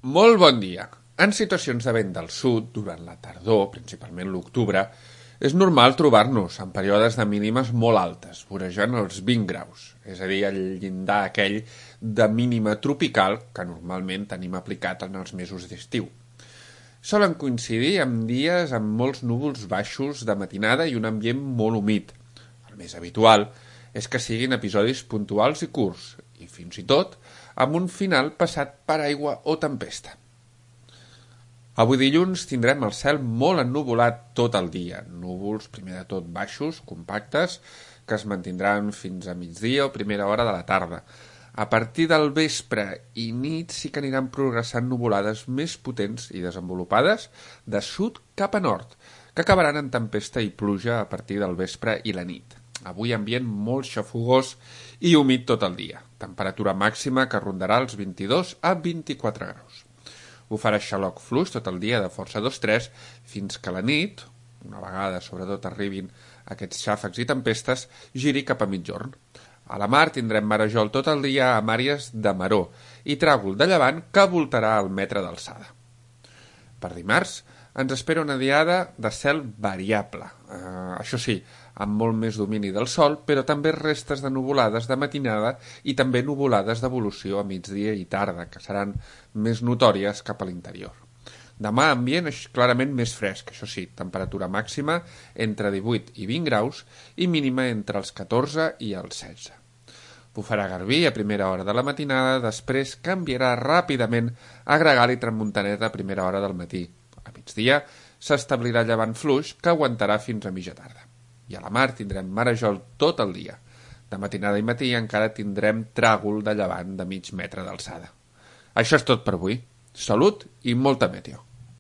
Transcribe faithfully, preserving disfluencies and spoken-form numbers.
Molt bon dia. En situacions de vent del sud, durant la tardor, principalment l'octubre, és normal trobar-nos en períodes de mínimes molt altes, vorejant els vint graus, és a dir, el llindar aquell de mínima tropical que normalment tenim aplicat en els mesos d'estiu. Solen coincidir amb dies amb molts núvols baixos de matinada i un ambient molt humit. El més habitual és que siguin episodis puntuals i curts, i fins i tot amb un final passat per aigua o tempesta. Avui dilluns tindrem el cel molt ennuvolat tot el dia, núvols primer de tot baixos, compactes, que es mantindran fins a migdia o primera hora de la tarda. A partir del vespre i nit sí que aniran progressant nuvolades més potents i desenvolupades de sud cap a nord, que acabaran en tempesta i pluja a partir del vespre i la nit. Avui ambient molt xafogós i humit tot el dia. Temperatura màxima que rondarà els vint-i-dos a vint-i-quatre graus. Ho farà xaloc fluix tot el dia de força dos tres fins que la nit, una vegada sobretot arribin aquests xàfecs i tempestes, giri cap a mitjorn. A la mar tindrem marejol tot el dia amb àrees de maró i tràgol de llevant que voltarà al metre d'alçada. Per dimarts ens espera una diada de cel variable, eh, això sí, amb molt més domini del sol, però també restes de nuvolades de matinada i també nuvolades d'evolució a migdia i tarda, que seran més notòries cap a l'interior. Demà ambient és clarament més fresc, això sí, temperatura màxima entre divuit i vint graus i mínima entre els catorze i els setze. Bufarà garbí a primera hora de la matinada, després canviarà ràpidament a gregal i tramuntaneta a primera hora del matí. A migdia s'establirà llevant fluix que aguantarà fins a mitja tarda. I a la mar tindrem marejol tot el dia. De matinada i matí encara tindrem tràgol de llevant de mig metre d'alçada. Això és tot per avui. Salut i molta meteo.